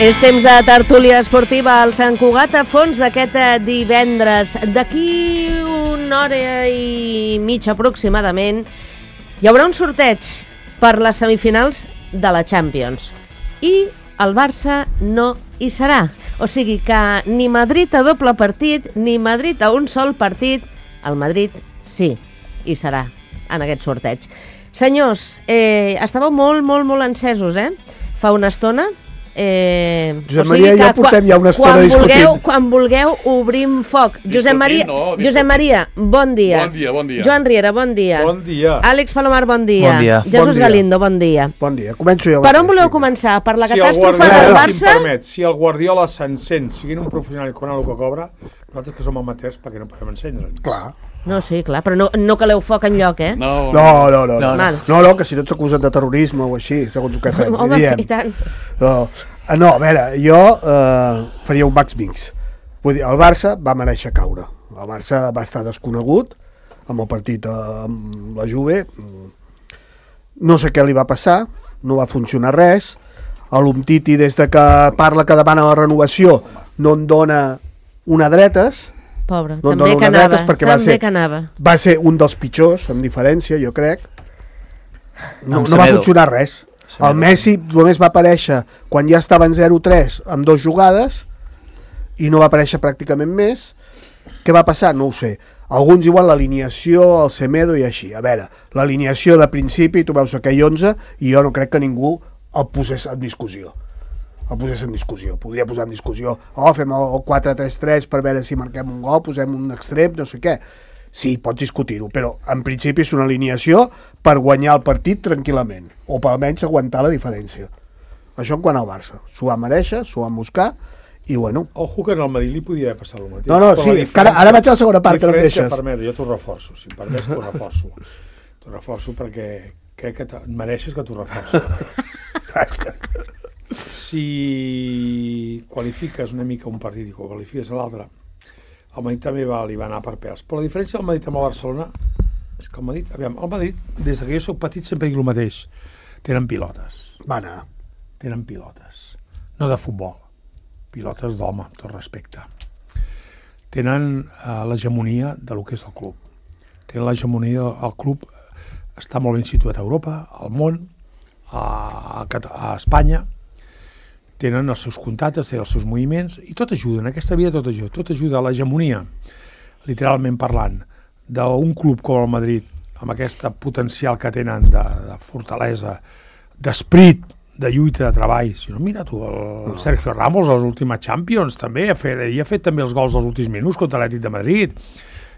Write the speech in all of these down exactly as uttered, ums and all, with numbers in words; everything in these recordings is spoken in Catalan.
És temps de tertúlia esportiva al Sant Cugat a fons d'aquest divendres. D'aquí una hora i mitja aproximadament hi haurà un sorteig per les semifinals de la Champions. I el Barça no hi serà. O sigui que ni Madrid a doble partit, ni Madrid a un sol partit, el Madrid sí, hi serà en aquest sorteig. Senyors, eh, estàveu molt, molt, molt encesos, eh? Fa una estona. Eh, Josep o sigui Maria i jo portem ja una estona discutint. Vulgueu, quan vulgueu obrim foc. Josep Maria, no, Josep Maria, bon dia. Bon dia, bon dia. Joan Riera, bon dia. Bon dia. Àlex Palomar, bon dia. Bon dia. Jesús bon dia. Galindo, bon dia. Bon dia. Començo jo. Per on voleu començar? Per la si catàstrofe del Barça? Si, permet, si el Guardiola s'encén, siguin un professional i cobrant el que cobra, nosaltres que som amateurs, perquè no podem encendre. Clar. No, sí, clar, però no, no caleu foc enlloc, eh? No, no, no. No, no, no. no, no que si tots s'acusen de terrorisme o així, segons el que fem. Home, i tant. No. No, a veure, jo eh, faria un max mix. Vull dir, el Barça va mereixer caure. El Barça va estar desconegut amb el partit amb la Juve. No sé què li va passar, no va funcionar res. L'Umtiti, des de que parla que demana la renovació, no en dona una dretes. Pobre, no també que anava, perquè també va ser, que anava. Va ser un dels pitjors, amb diferència, jo crec. No, no va funcionar res. El Messi només va aparèixer quan ja estaven zero tres amb dues jugades i no va aparèixer pràcticament més. Què va passar? No ho sé. Alguns diuen l'alineació, el Semedo i així. A veure, l'alineació de principi, tu veus aquell onze i jo no crec que ningú el posés en discussió. El posés en discussió. Podria posar en discussió, oh, fem el quatre tres tres per veure si marquem un gol, posem un extrem, no sé què. Sí, pots discutir-ho, però en principi és una alineació per guanyar el partit tranquil·lament, o per almenys aguantar la diferència. Això en quant al Barça. S'ho va mereixer, s'ho van buscar, i bueno... Ojo que en el Madrid li podia haver passat el mateix. No, no, sí, ara, ara vaig a la segona part, que no deixes. Permet, jo t'ho reforço, si em permets t'ho reforço. T'ho reforço perquè crec que mereixes que t'ho reforço. Si qualifiques una mica un partit i qualifiques l'altre, el Madrid també va, li va anar per pèls. Però la diferència del Madrid amb el Barcelona és que el Madrid, aviam, el Madrid, des que jo soc petit sempre dic el mateix, tenen pilotes. Va anar. Tenen pilotes. No de futbol. Pilotes d'home, amb tot respecte. Tenen uh, l'hegemonia de lo que és el club. Tenen l'hegemonia del club, està molt ben situat a Europa, al món, a, a Espanya, tenen els seus contactes, tenen els seus moviments, i tot ajuda, en aquesta vida tot ajuda, tot ajuda a l'hegemonia, literalment parlant, d'un club com el Madrid, amb aquesta potencial que tenen de, de fortalesa, d'esprit, de lluita, de treball. Si no, mira tu, el Sergio Ramos, a les últimes Champions, també, ha fet, i ha fet també els gols dels últims minuts contra l'Atlètic de Madrid,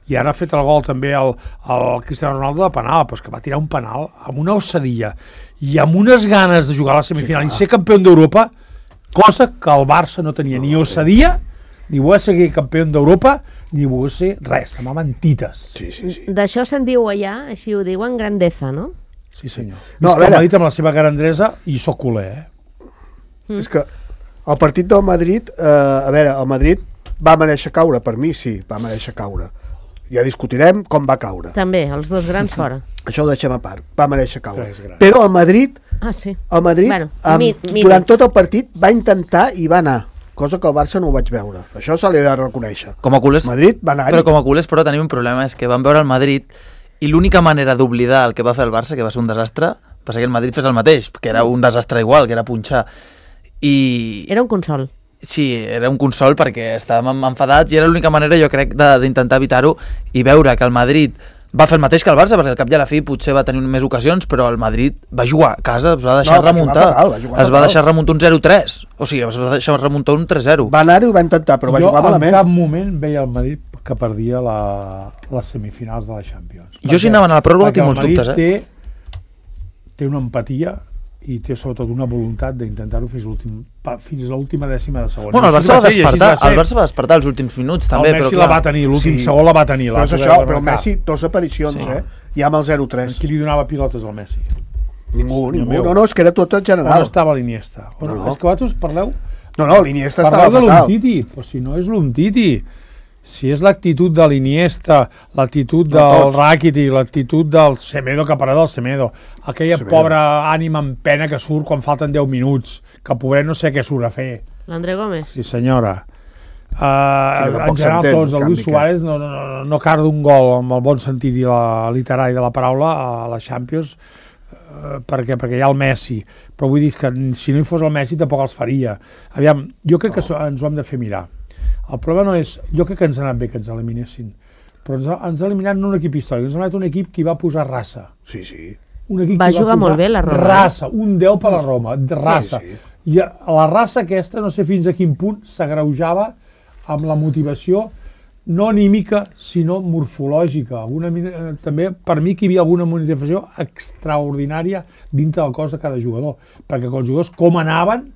i ara ha fet el gol també al, al Cristiano Ronaldo de penal, però és que va tirar un penal amb una ossadia, i amb unes ganes de jugar a la semifinal, sí, i ser campió d'Europa, cosa que el Barça no tenia no, ni ossadia, ni voler ser campió d'Europa, ni voler ser res, se m'ha mentites. Sí, sí, sí. D'això se'n diu allà, així ho diuen, grandeza, no? Sí, senyor. No, és que el Madrid amb la seva grandesa, i soc culer, eh? Mm. És que el partit del Madrid, eh, a veure, el Madrid va mereixer caure, per mi sí, va mereixer caure. Ja discutirem com va caure. També, els dos grans fora. Això ho deixem a part, va mereixer caure. Però el Madrid, ah, sí. el Madrid bueno, amb, mi, mi, durant tot el partit va intentar i va anar, cosa que el Barça no ho vaig veure. Això se li ha de reconèixer. Com a culers, Madrid va anar-hi. Però com a culers, però tenim un problema, és que vam veure el Madrid i l'única manera d'oblidar el que va fer el Barça, que va ser un desastre, va ser que el Madrid fes el mateix, que era un desastre igual, que era punxar. I... Era un consol. Sí, era un consol perquè estàvem enfadats i era l'única manera, jo crec, d'intentar evitar-ho i veure que el Madrid va fer el mateix que el Barça, perquè al cap i a la fi potser va tenir més ocasions, però el Madrid va jugar a casa, es va deixar no, remuntar. Fatal, va jugar es va fatal. deixar remuntar un zero tres. O sigui, es va deixar remuntar un tres zero. Va anar-hi i ho va intentar, però va jo jugar malament. Jo en cap moment veia el Madrid que perdia la, les semifinals de la Champions. Jo si anaven a la pròrroga tinc molts dubtes, eh? Té, té una empatia i té sobretot una voluntat d'intentar-ho fins, fins a l'última dècima de segon. Bueno, el Barça va despertar, el Barça va despertar els últims minuts també, el Messi però clar. la va tenir, l'últim Sí. segon la va tenir. Però és això, però el Messi, dos aparicions, Sí. eh? Ja amb el zero tres. Qui li donava pilotes al Messi? Ningú, Senyor ningú. meu. No, no, és que era tot en On general. estava l'Iniesta? On... No, no. És que vosaltres parleu, No, no, l'Iniesta estava parleu de fatal. l'Umtiti, però si no és l'Umtiti. Si és l'actitud de l'Iniesta, l'actitud No del tots. Rakitic, l'actitud del Semedo, que parla del Semedo, aquella Semedo. pobra ànima en pena que surt quan falten deu minuts, que pobret no sé què surt a fer. L'André Gómez. Sí, senyora. Uh, en general tots, el Luis Suárez no, no, no carda un gol amb el bon sentit i la literari de la paraula a la Champions uh, perquè, perquè hi ha el Messi, però vull dir que si no hi fos el Messi tampoc els faria. Aviam, jo crec que ens ho hem de fer mirar. El problema no és, jo crec que ens ha anat bé que ens eliminessin, però ens ha, ens ha eliminat no un equip històric, ens ha anat un equip que va posar raça. Sí, sí. Un equip va que jugar va molt bé la Roma. Raça, un deu per la Roma, raça. Sí, sí. I la raça aquesta, no sé fins a quin punt, s'agreujava amb la motivació no anímica, sinó morfològica. Alguna, també, per mi, que hi havia alguna motivació extraordinària dintre del cos de cada jugador, perquè els jugadors com anaven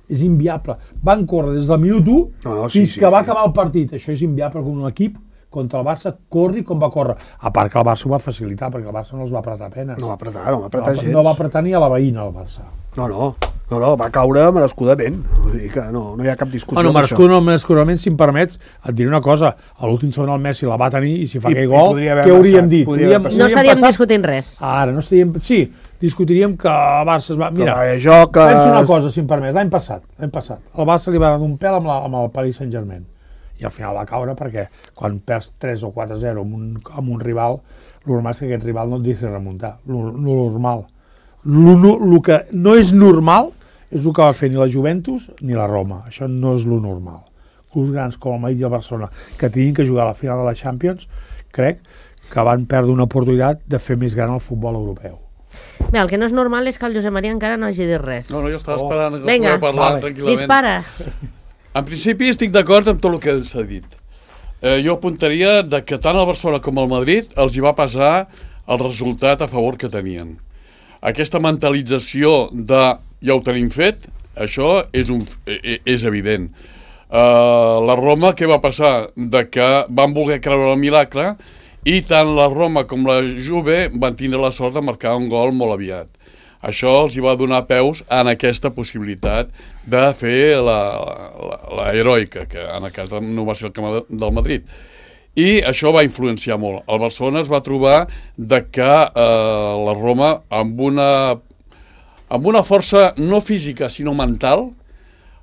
és inviable. Van córrer des del minut u no, no, sí, fins sí, que va sí. acabar el partit. Això és inviable com un equip contra el Barça corri com va córrer. A part que el Barça ho va facilitar, perquè el Barça no els va apretar penes. No va apretar, no va apretar no, gens. No va apretar ni a la veïna, el Barça. No, no. No, no, va caure merescudament. Vull dir que no, no hi ha cap discussió. Bueno, merescut no, merescudament, si em permets, et diré una cosa. A l'últim segon el Messi la va tenir i si fa I, aquell gol, què hauríem dit? Podríem, no estaríem passat? discutint res. Ara, no estaríem... Sí, discutiríem que el Barça es va... Mira, jo que... penso una cosa, si em permets. L'any passat, l'any passat, el Barça li va donar un pèl amb, la, amb el Paris Saint-Germain. I al final va caure perquè quan perds tres o quatre a zero amb un, amb un rival, el normal és que aquest rival no et deixi remuntar. Lo normal. El que no és normal és el que va fer ni la Juventus ni la Roma. Això no és lo normal. Clubs grans com el Madrid i el Barcelona, que tinguin que jugar a la final de la Champions, crec que van perdre una oportunitat de fer més gran el futbol europeu. Bé, el que no és normal és que el Josep Maria encara no hagi dit res. No, no, jo estava esperant que Venga, parlar vale. tranquil·lament. Dispara. En principi estic d'acord amb tot el que s'ha dit. Eh, jo apuntaria de que tant el Barcelona com el Madrid els hi va passar el resultat a favor que tenien. Aquesta mentalització de ja ho tenim fet, això és, un, és evident. Uh, la Roma, què va passar? De que van voler creure el miracle i tant la Roma com la Juve van tindre la sort de marcar un gol molt aviat. Això els hi va donar peus en aquesta possibilitat de fer la, la, la heroica, que en aquest cas no va ser el camp del Madrid. I això va influenciar molt. El Barcelona es va trobar de que eh, la Roma, amb una, amb una força no física, sinó mental,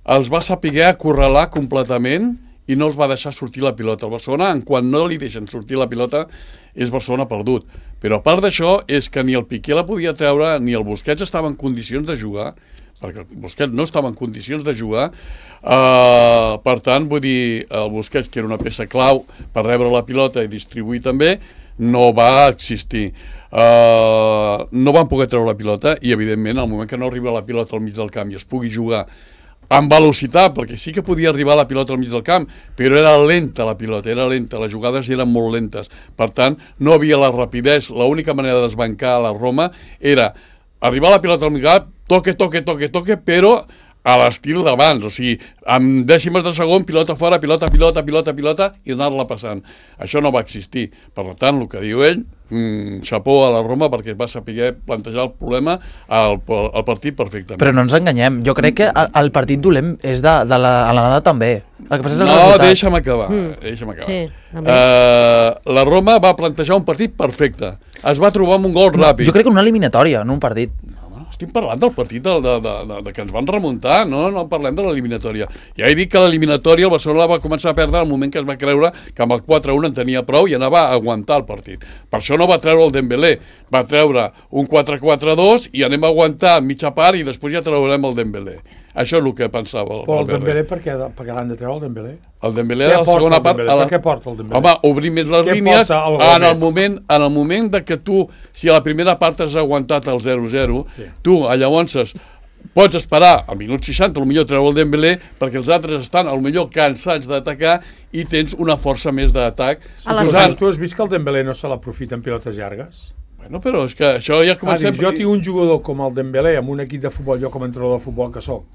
els va saber acorralar completament i no els va deixar sortir la pilota. El Barcelona, en quan no li deixen sortir la pilota, és Barcelona perdut. Però a part d'això, és que ni el Piqué la podia treure, ni el Busquets estava en condicions de jugar, perquè el Busquets no estava en condicions de jugar. Uh, per tant, vull dir, el Busquets, que era una peça clau per rebre la pilota i distribuir també, no va existir. Uh, no van poder treure la pilota i, evidentment, al moment que no arriba la pilota al mig del camp i es pugui jugar amb velocitat, perquè sí que podia arribar la pilota al mig del camp, però era lenta la pilota, era lenta, les jugades eren molt lentes. Per tant, no havia la rapidesa. L'única manera de desbancar a la Roma era arribar la pilota al mig del camp, toque, toque, toque, toque, però a l'estil d'abans, o sigui, amb dècimes de segon, pilota fora, pilota, pilota, pilota, pilota, i anar-la passant. Això no va existir. Per tant, el que diu ell, mmm, xapó a la Roma perquè va saber plantejar el problema al, al partit perfectament. Però no ens enganyem, jo crec que el, el partit dolent és de, de la, a l'anada també. El que passa és el no, resultat. deixa'm acabar. Mm. Deixa'm acabar. Sí, uh, la Roma va plantejar un partit perfecte. Es va trobar amb un gol no, ràpid. Jo crec que una eliminatòria, no un partit. Estic parlant del partit de, de, de, de, de que ens van remuntar, no, no parlem de l'eliminatòria. Ja he dit que l'eliminatòria el Barcelona va començar a perdre al moment que es va creure que amb el quatre a un en tenia prou i anava a aguantar el partit. Per això no va treure el Dembélé, va treure un quatre quatre dos i anem a aguantar mitja part i després ja traurem el Dembélé. Això és el que pensava el Però el Dembélé, per què, per què l'han de treure el Dembélé? El Dembélé a la segona part... A la... Per què porta el Dembélé? Home, obrir més les què línies el en, el moment, en el moment de que tu, si a la primera part has aguantat el zero zero, sí. tu llavors pots esperar al minut seixanta, potser treure el Dembélé, perquè els altres estan potser cansats d'atacar i tens una força més d'atac. Suposant... Tu has vist que el Dembélé no se l'aprofita en pilotes llargues? Bueno, però és que això ja comencem... Ah, dic, jo tinc un jugador com el Dembélé amb un equip de futbol, jo com a entrenador de futbol que soc,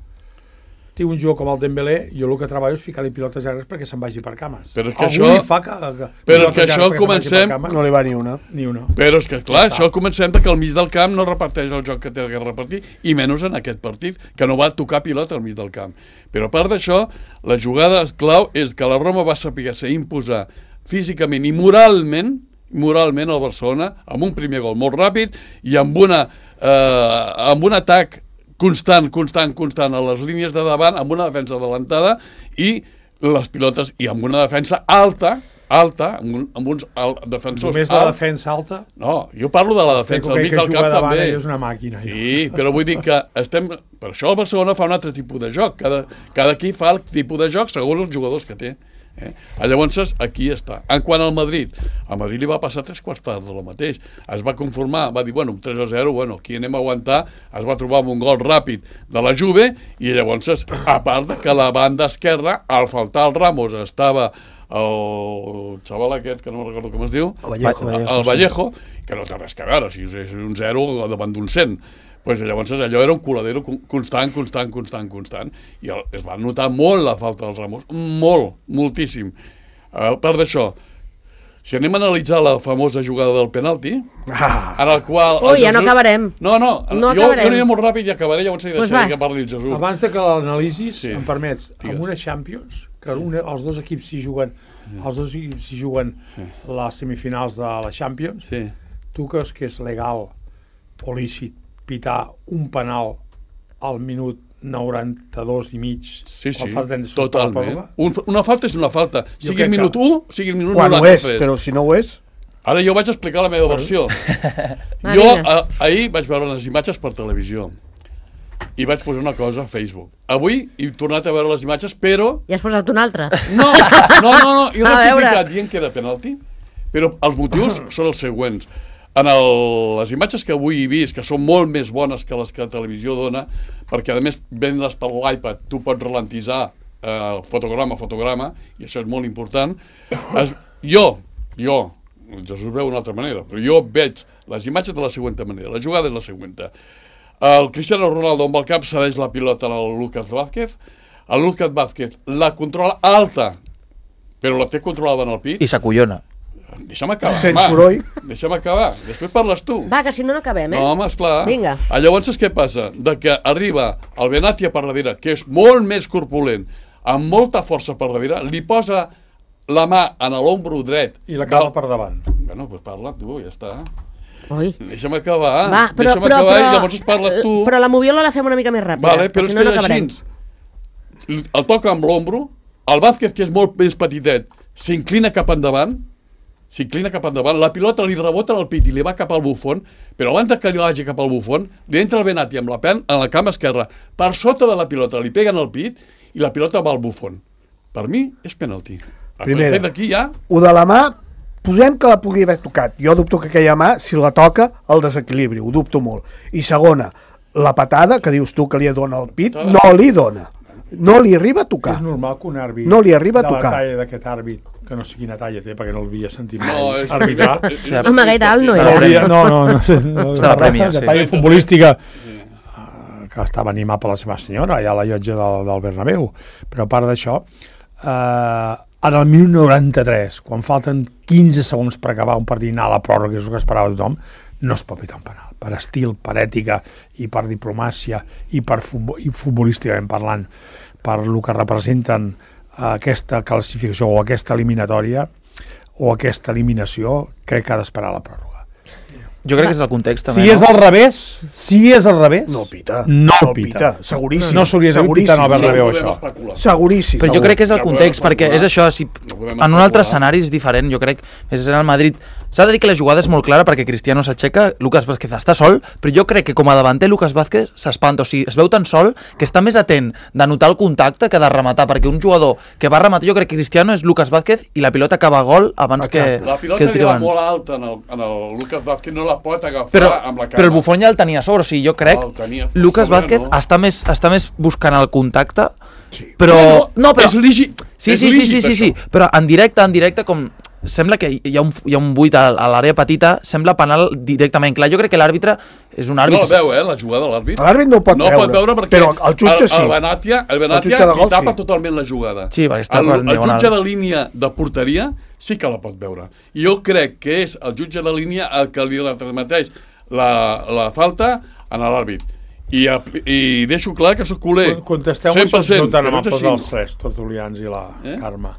tinc un jugador com el Dembélé, jo el que treballo és ficar-li pilotes llargues perquè se'n vagi per cames. Però és que Algú això... fa que, que però és que això comencem... No li va ni una. Ni una. Però és que, clar, això comencem que al mig del camp no reparteix el joc que té que repartir, i menys en aquest partit, que no va tocar pilota al mig del camp. Però a part d'això, la jugada clau és que la Roma va saber ser imposar físicament i moralment moralment al Barcelona, amb un primer gol molt ràpid i amb, una, eh, amb un atac constant, constant, constant a les línies de davant, amb una defensa adelantada i les pilotes, i amb una defensa alta, alta, amb, un, amb uns al, defensors Només la alts. defensa alta? No, jo parlo de la defensa, al mig del camp també. És una màquina. Sí, però vull dir que estem... Per això el Barcelona fa un altre tipus de joc. Cada, cada equip fa el tipus de joc segons els jugadors que té. Eh? Llavors, aquí està. En quant al Madrid, a Madrid li va passar tres quarts parts de lo mateix. Es va conformar, va dir, bueno, tres a zero, bueno, aquí anem a aguantar, es va trobar amb un gol ràpid de la Juve, i llavors, a part de que la banda esquerra, al faltar el Ramos, estava el xaval aquest, que no recordo com es diu, el Vallejo, el, el Vallejo, que no té res a veure, si és un zero davant d'un cent. Pues llavors allò era un coladero constant, constant, constant, constant, i el, es va notar molt la falta dels Ramos, molt, moltíssim. A part d'això, si anem a analitzar la famosa jugada del penalti, ah. en el qual... Ui, ja no acabarem. No, no, no jo, jo aniré molt ràpid i acabaré, llavors hi pues deixaré que parli el Jesús. Abans de que l'analisis, sí. em permets, Digues. amb una Champions, que una, els dos equips s'hi juguen, els dos s'hi juguen sí. les semifinals de la Champions, sí. tu creus que és legal o lícit pitar un penal al minut noranta-dos i mig sí, sí, de totalment. Un, una falta és una falta, jo sigui el minut que... u, sigui el minut quan noranta-tres. Ho és, però si no ho és... Ara jo vaig explicar la meva versió. Jo a, ahir vaig veure les imatges per televisió i vaig posar una cosa a Facebook. Avui he tornat a veure les imatges, però... I has posat una altra? No, no, no, no. Jo no he ficat dient que era penalti, però els motius són els següents. En el, les imatges que avui he vist, que són molt més bones que les que la televisió dona, perquè a més vendes per l'iPad, tu pots ralentitzar eh, fotograma a fotograma, i això és molt important. Es, jo, jo, Jesús veu d'una altra manera, però jo veig les imatges de la següent manera. La jugada és la següent. El Cristiano Ronaldo amb el cap cedeix la pilota al Lucas Vázquez, el Lucas Vázquez la controla alta, però la té controlada en el pit. I s'acollona. Deixa'm acabar, Sents home. soroll. Deixa'm acabar. Després parles tu. Va, que si no, no acabem, eh? No, home, esclar. Vinga. Llavors, què passa? De que arriba el Benatia per darrere, que és molt més corpulent, amb molta força per darrere, li posa la mà en l'ombro dret. I la cala per davant. Bueno, doncs parla tu, ja està. Ui. Deixa'm acabar. Va, però, Deixa'm però, acabar però, i llavors parles tu. Però la moviola la fem una mica més ràpida. Vale, però si és no, que no és així. El toca amb l'ombro, el Vázquez, que és molt més petitet, s'inclina cap endavant, s'inclina cap endavant, la pilota li rebota en el pit i li va cap al bufon, però abans que li vagi cap al bufon, li entra el Benati amb la pen en la cama esquerra, per sota de la pilota, li pega en el pit i la pilota va al bufon. Per mi és penalti. Primera, d'aquí ja... ho de la mà, posem que la pugui haver tocat. Jo dubto que aquella mà, si la toca, el desequilibri, ho dubto molt. I segona, la patada, que dius tu que li dona al pit, no li dona. No li arriba a tocar. És normal que un àrbit no li arriba a de tocar. la talla d'aquest àrbit, que no sé quina talla té, perquè no l'havia sentit mai No, és... arbitrar. Home, gaire alt no era. Hauria, no, no, no, sé, no, Està la prèmia, de sí. talla futbolística, uh, que estava animat per la seva senyora, allà a la llotja del, del Bernabéu. Però a part d'això, uh, en el minut noranta-tres, quan falten quinze segons per acabar un partit, anar a la pròrroga, que és el que esperava tothom, no es pot pitar un penal. Per estil, per ètica i per diplomàcia i per futbol, i futbolísticament parlant, per el que representen aquesta classificació o aquesta eliminatòria o aquesta eliminació, crec que ha d'esperar la pròrroga. Jo crec que és el context també, si és no? al revés, si és al revés, No pita. no, no pita. pita. Seguríssim. No s'hauria d'haver pitat al Bernabéu, Sí, això. Seguríssim. Però jo crec que és el context, perquè és això, si en un altre escenari és diferent, jo crec, és en el Madrid. S'ha de dir que la jugada és molt clara perquè Cristiano s'aixeca, Lucas Vázquez està sol, però jo crec que com a davanter Lucas Vázquez s'espanta, o sigui, es veu tan sol que està més atent de notar el contacte que de rematar, perquè un jugador que va rematar, jo crec que Cristiano és Lucas Vázquez i la pilota acaba a gol abans que, La que pilota el tiro era abans. molt alta en el, en el Lucas Vázquez, no la pot agafar Però, amb la cama. però el Buffon ja el tenia a sobre, o sigui, jo crec El tenia Lucas sobre, Vázquez no? està, més, està més buscant el contacte, Sí. però... Bueno, no, però... és lícit. Sí, és sí, sí, lícit, sí, sí, sí, això. però en directe, en directe, com sembla que hi ha un, hi ha un buit a, a l'àrea petita, sembla penal directament. Clar, jo crec que l'àrbitre és un No àrbitre... la veu, eh, la jugada de l'àrbit. L'àrbit no ho pot no veure. pot veure perquè però el jutge sí. el, el Benatia, el Benatia jutge de li gol, tapa sí. totalment la jugada. Sí, perquè està el, per el diagonal. jutge de línia de porteria sí que la pot veure. I jo crec que és el jutge de línia el que li retransmeteix la, la falta a l'àrbit. I, I deixo clar que sóc culer. Contesteu-me cent per si cent, no tan que no és amables així. els tres, Tertulians i la Eh? Carme.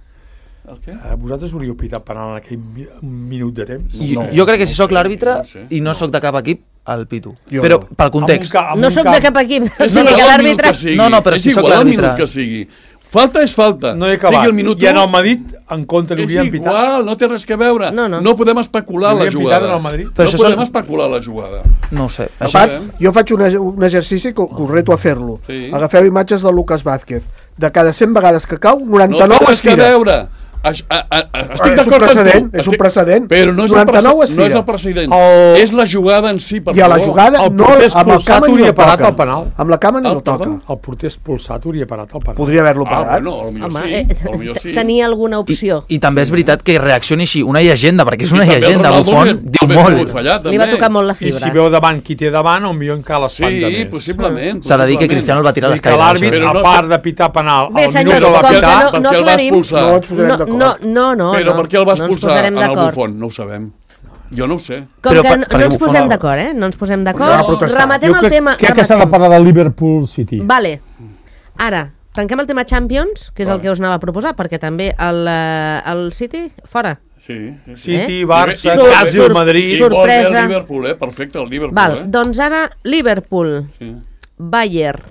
El què? Eh, vosaltres hauríeu pitat penal en aquell mi- un minut de temps? I, No, jo crec que si no sóc sé, l'àrbitre no sé. i no sóc de cap equip, al Pitu. Jo Però no. pel context. Amb un ca- amb No un sóc camp- de cap equip, o És sigui igual que el l'àrbitre... minut que sigui. No, no, però és si sóc igual el l'àrbitre. minut que sigui. Falta és falta. No he Sigui acabat. el minut I en u, el Madrid, en contra, li és haurien pitat. igual, no té res a veure. No, no. no podem especular Li la haurien pitat jugada. en el Madrid. Però no això podem són- especular la jugada. No ho sé. A Això... part, part, jo faig un, un exercici que us reto a fer-lo. Sí. Agafeu imatges del Lucas Vázquez. De cada cent vegades que cau, No noranta-nou té es res a tira. veure. Estic és un d'acord amb precedent, tu. és un Estic- precedent. Però no és, el noranta-nou es prece- no és tira. el precedent. El- És la jugada en si, per I a la favor. jugada El no, porter amb el expulsat cama ni hauria el parat toca. el penal. Amb la cama ni El el toca. perdó? El porter expulsat hauria parat el penal. Podria haver-lo Ah, parat. bueno, potser Home, sí. eh, Potser sí. tenia alguna opció. I, I també és veritat que reaccioni així una llegenda, perquè és una I també el llegenda, Ronaldo Buffon hauria- diu hauria molt. pogut fallar, Li va també. tocar molt la I fibra. si veu davant qui té davant, on millor encara l'espanta Sí, més. possiblement. S'ha de dir que possiblement. Cristiano el va tirar a Vull dir que l'escaire. l'àrbit, Però a no- part de pitar penal, Bé, al senyors, minut de la com que pitar, no, per no què el va aclarim... expulsar? No ens posarem No, d'acord. no, no, no. Però no. per què el va No ens expulsar posarem en el d'acord. Buffon? No ho sabem. Jo no ho sé. Com Però que per- no, perquè no ens Buffon posem el- d'acord, eh? No ens posem Va d'acord. protestar. Rematem jo el crec, tema... crec que s'ha de rematem. parlar del Liverpool City. Vale. Ara, tanquem el tema Champions, que és el que us anava a proposar, perquè també el, eh, el City, fora. Sí, sí, sí. City, Eh? Barça, Sur- quasi sur- el Madrid. I vol bé sorpresa. el Liverpool, eh? Perfecte, el Liverpool, Val, eh? doncs ara Liverpool, Sí. Bayern,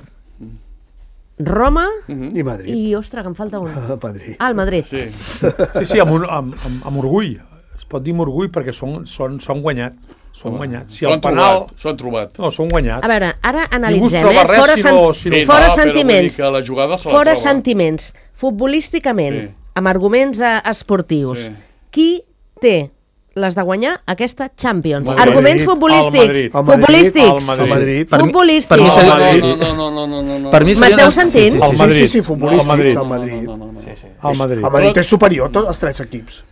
Roma I Madrid. i, ostres, que em falta un. A Madrid. Ah, el Madrid. Sí. Sí, sí, amb, un, amb, amb, amb orgull. Es pot dir amb orgull perquè són, són, són guanyats. Són guanyats. Si S'ho el han penal... trobat, s'ho han trobat. No, són guanyats. A veure, ara Ningú es analitzem, troba eh? res Fora, si sen- no- si no- Sí, fora no, però vull dir sentiments, que la jugada se la fora troba. sentiments, futbolísticament, Sí. amb arguments eh, esportius, Sí. qui té les de guanyar aquesta Champions? Madrid. Arguments El futbolístics. Madrid. El Madrid, Futbolístics. el Madrid. El Madrid. Per mi- Futbolístics. per mi No, seria- no, sí. no, no, no, no, no, no, no. Per mi seria M'esteu una- sentint? Sí, sí, El sí. Madrid. Sí, sí, sí, futbolístics, El Madrid. el Madrid. No, no, no, no. Sí, sí. El Madrid. El Madrid és superior a tots els tres equips.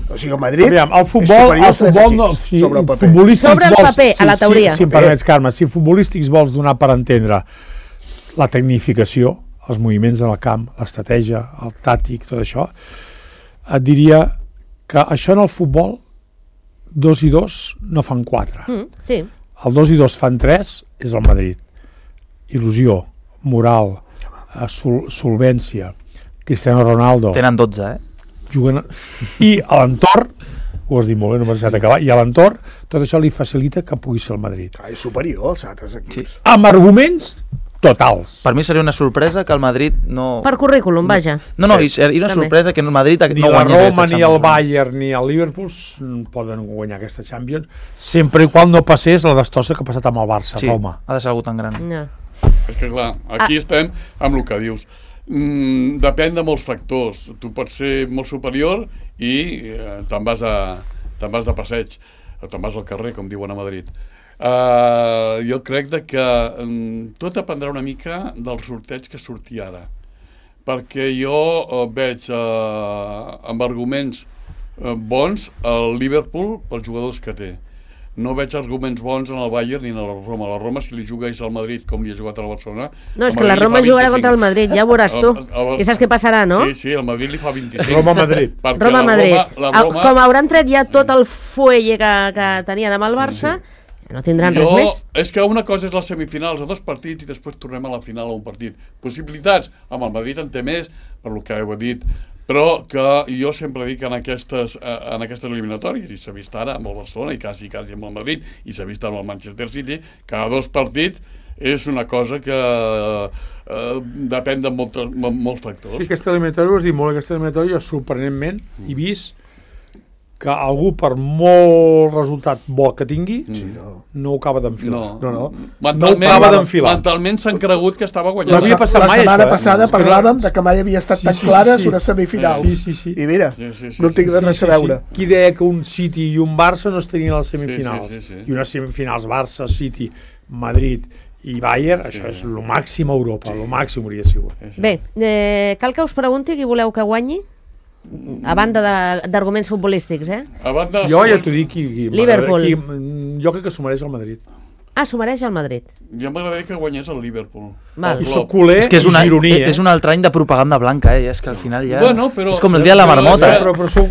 O sigui, el Madrid Aviam, el és futbol, superior el als tres futbol no, equips, si sobre el paper. futbolístics Sobre el vols, paper, a la si- teoria. Si, si em permets, Carme, si futbolístics vols donar per entendre la tecnificació, els moviments en el camp, l'estratègia, el tàctic, tot això, et diria que això en el futbol, dos i dos no fan quatre. Mm, sí. El dos i dos fan tres, és el Madrid. Il·lusió, moral, eh, sol, solvència, Cristiano Ronaldo, Tenen dotze, eh? juguen... I a l'entorn, ho has dit molt bé, no m'has deixat acabar, i a l'entorn, tot això li facilita que pugui ser el Madrid. Ah, és superior als altres equips. Amb arguments totals. Per mi seria una sorpresa que el Madrid no... Per currículum, vaja. No, no, i seria una També. sorpresa que el Madrid Ni no la guanyés Roma, aquesta ni el Champions. Bayern, ni el Liverpool s- poden guanyar aquesta Champions, sempre i quan no passés la destossa que ha passat amb el Barça, Sí, Roma. ha de ser algú tan gran. No. És que clar, aquí estem amb el que dius. Mm, depèn de molts factors. Tu pots ser molt superior i eh, te'n vas, a, te'n vas de passeig, o te'n vas al carrer, com diuen a Madrid. Uh, jo crec de que um, tot dependrà una mica del sorteig que surti ara. Perquè jo uh, veig uh, amb arguments uh, bons el Liverpool pels jugadors que té. No veig arguments bons en el Bayern ni en la Roma. La Roma, si li jugués al Madrid com li ha jugat al Barcelona... No, és el que la Madrid li Roma fa jugarà vint-i-cinc. contra el Madrid, ja ho veuràs tu. El- el- I saps què passarà, no? Sí, sí, el Madrid li fa vint-i-cinc. Roma-Madrid. Perquè Roma-Madrid. La Roma, la Roma, Com hauran tret ja tot el fuelle que, que tenien amb el Barça, no tindran res jo, més. és que una cosa és les semifinals a dos partits i després tornem a la final a un partit. Possibilitats, amb el Madrid en té més, per lo que heu dit, però que jo sempre dic en aquestes, eh, en aquestes eliminatòries, i s'ha vist ara amb el Barcelona i quasi, quasi amb el Madrid, i s'ha vist amb el Manchester City, cada dos partits és una cosa que eh, depèn de moltes, molts factors. Sí, aquesta eliminatòria, ho has dit molt, aquesta eliminatòria, sorprenentment, he vist que algú, per molt resultat bo que tingui, Mm. No. no ho acaba d'enfilar. No, No, no. Mentalment, No ho acaba d'enfilar. mentalment s'han cregut que estava No guanyant. havia passat la mai, setmana això, eh? passada És que no- parlàvem de que mai havia estat Sí, tan sí, sí, clares sí. unes semifinals. Sí, sí, sí. I mira, Sí, sí, sí, no tinc sí, res a veure. Qui deia que un City i un Barça no estarien a les semifinals? Sí, sí, sí, sí. I unes semifinals Barça, City, Madrid i Bayern, Sí. això és el màxim a Europa, el màxim hauria sigut. Bé, eh, cal que us pregunti qui voleu que guanyi? A banda de- d'arguments futbolístics, eh? A banda, Jo ja t'ho dic, qui, qui, Liverpool. qui, jo crec que s'ho mereix el Madrid. Ah, s'ho mereix el Madrid. Ja m'agradaria que guanyés el Liverpool. Val. I soc culer És que és, una, i gironí, eh? és un altre any de propaganda blanca, eh? És que al final ja... Bueno, però- és com el dia de la però- marmota. però- Però, però s'ho,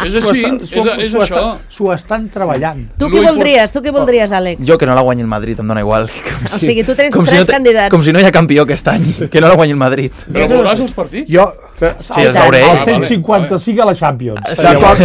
És així, és- és s'ho això. estan- S'ho estan treballant. Tu Lo què import- voldries? Tu què voldries, Àlex? Jo que no la guanyi el Madrid, em dona igual. Com O sigui, tu tens com tres no, te- candidats. Com si no hi ha campió aquest any, que no la guanyi el Madrid. Però Jesús. veuràs els partits? Jo, Sí, els veuré. El Ah, cent cinquanta-cinc a la Champions. d'acord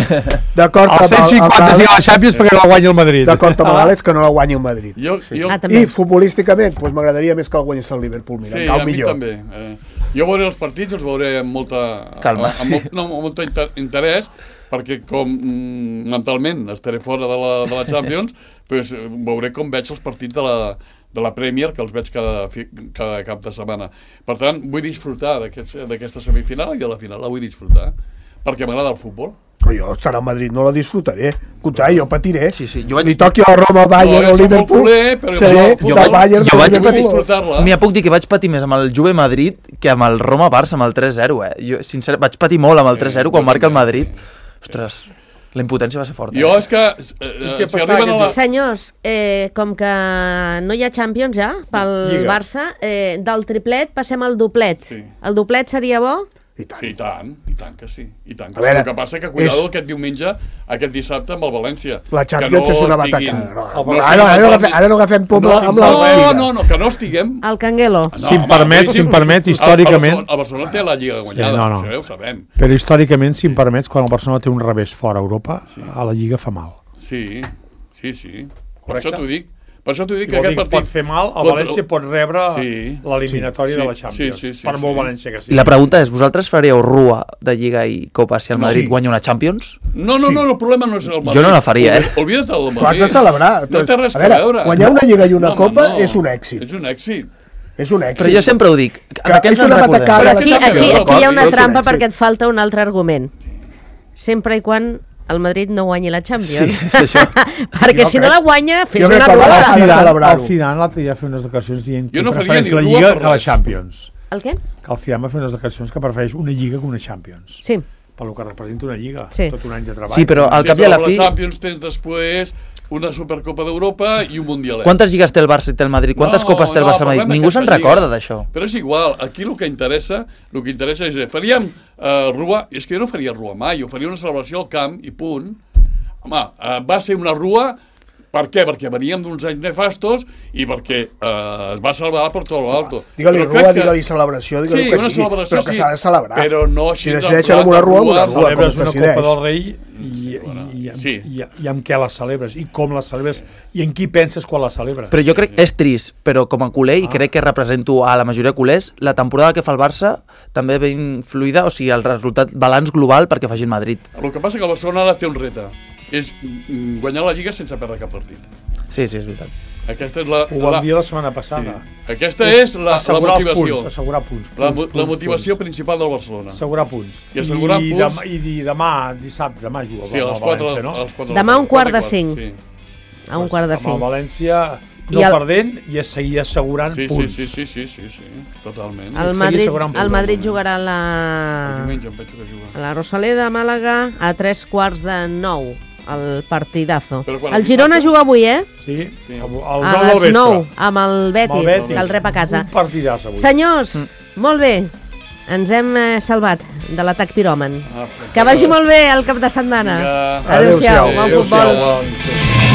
d'acord El amb cent cinquanta-cinc a la Champions perquè no la guanya el Madrid. d'acord amb l'Àlex que no la guanyi el Madrid. Jo, jo, Ah, també. I futbolísticament, doncs m'agradaria més que el guanyés el Liverpool, mira, sí, encara a mi millor. també. Eh, jo veuré els partits, els veuré amb molta, Calma, amb, amb, molt, no, amb molt inter interès, perquè com mm, mentalment estaré fora de la, de la Champions, pues, eh, veuré com veig els partits de la, de la Premier, que els veig cada, fi- cada cap de setmana. Per tant, vull disfrutar d'aquest- d'aquesta semifinal i de la final la vull disfrutar, perquè m'agrada el futbol. Però jo estar al Madrid no la disfrutaré. Al contrari, jo patiré. Sí, sí, jo vaig- Li toqui a Roma, Bayern No, o jo soc molt Liverpool, culer, però seré jo- del jo- Bayern jo o vaig Vull Liverpool. disfrutar-la. Mira, puc dir que vaig patir més amb el Juve Madrid que amb el Roma-Barça, amb el tres zero, eh? Jo, sincer, vaig patir molt amb el tres zero Eh, quan jo marca el també, Madrid. sí. Ostres, la impotència va ser forta. Jo eh? és que... Eh, què si passava arriben a la... aquest Senyors, eh, com que no hi ha Champions ja pel Lliga. Barça, eh, del triplet passem al doplet. Sí. El doplet seria bo? I tant. Sí, i tant, i tant que sí. I tant que A veure, sí. El que passa que cuidado és- aquest diumenge, aquest dissabte amb el València. La Champions Que és una estiguin- batacada. No, El no, Barça- ara, ara, no agafem, ara no agafem pom No, amb la No, Lliga. no, no, que no estiguem... El Canguelo. No, Si em home, permets, vull dir, si em permets, el- històricament- El Barcelona, el Barcelona té la Lliga guanyada, Sí, no, no. això ja ho sabem. Però històricament, si em permets, quan el Barcelona té un revés fora a Europa, a la Lliga fa mal. Sí, sí, sí. Per Correcte. això t'ho dic. Per això t'ho dic que Vol dir aquest que partit... pot fer mal, el contra- València pot rebre Sí. l'eliminatòria Sí, de la sí, Champions. sí, sí, per molt sí. València que sigui. I la pregunta és, vosaltres faríeu rua de Lliga i Copa si el Madrid Sí. guanya una Champions? No, no, no, el problema no és el Madrid. Jo no la faria, eh? Olvi- Oblida't del Madrid. Ho has de celebrar. No té res A a veure, veure. guanyar una Lliga i una No, home, Copa no. és un èxit. És un èxit. És un èxit. Però jo sempre ho dic, Que amb aquests és ens una recordem. batacada. Però Ara aquí, que aquí, s'ha aquí hi ha una acabat. trampa Sí. perquè et falta un altre argument. Sempre i quan el Madrid no guanyi la Champions. Sí, és això. perquè Jo si crec- no la guanya, fes jo crec una que el rua. Barça- El ha de Zidane, celebrar-ho. el Zidane l'altre dia va fer unes declaracions dient que Jo no faria prefereix ni la rua Lliga per que la res. Champions. El què? Que el Zidane va fer unes declaracions que prefereix una Lliga que una Champions. Sí. Per lo que representa una Lliga. Sí. Tot un any de treball. Sí, però al Sí, cap i a la però fi... La Champions tens després una Supercopa d'Europa i un Mundialet. Quantes lligues té el Barça i té el Madrid? Quantes No, copes té el no, Barça i el Madrid? parlem Ningú se'n d'aquesta recorda lliga. d'això. Però és igual, aquí el que interessa, el que interessa és, eh, faríem uh, rua, és que jo no faria rua mai, jo faria una celebració al camp i punt. Home, uh, va ser una rua, per què? Perquè veníem d'uns anys nefastos i perquè uh, es va celebrar per tot l'alto. Digue-li Però rua, crec que- digue-li celebració, digue-li Sí, que una sigui, celebració, però que sí, s'ha de celebrar. però no així Si de decideixen amb rua, una rua, rua, una rua, com Celebres es una decideix. Copa del Rei i, i, i, i, Sí. i, i amb què la celebres i com la celebres i en qui penses quan la celebres. Però jo crec que és trist, però com a culer, i crec que represento a la majoria de culers, la temporada que fa el Barça també ve influïda, o sigui, el resultat balanç global perquè faci el Madrid. El que passa que el Barcelona ara té un repte, és mm, guanyar la Lliga sense perdre cap partit. Sí, sí, és veritat. Aquesta és la, Ho vam la, dir la setmana passada. sí. Aquesta és la, la Assegurar els motivació. Punts, assegurar punts. punts, La, mo- punts la motivació punts. principal del Barcelona. Assegurar punts. I assegurar I, punts- demà, i, i demà, dissabte, demà juga Sí, a les amb el quatre, València, no? a les quatre Demà a un quart de quatre i cinc. Sí, A un quart de Amb el cinc. València no I el- perdent i a seguir assegurant sí, sí, punts. sí, sí, sí, sí, sí, totalment. El seguir Madrid, assegurant el punts. Madrid jugarà a El la, diumenge em penso que juga. a la Rosaleda, a Màlaga, a tres quarts de nou, el partidazo. Però quan El el Girona dissabte- juga avui, eh? Sí, Sí. al A nou del les vespre. nou, amb el Betis, Amb el Betis. que el rep a casa. Un partidàs avui. Senyors, molt bé, ens hem eh, salvat de l'atac piròman. Ah, Que vagi molt bé el cap de setmana. Vinga. Adéu-siau, Adéu-siau. bon futbol. Adéu-siau, bon-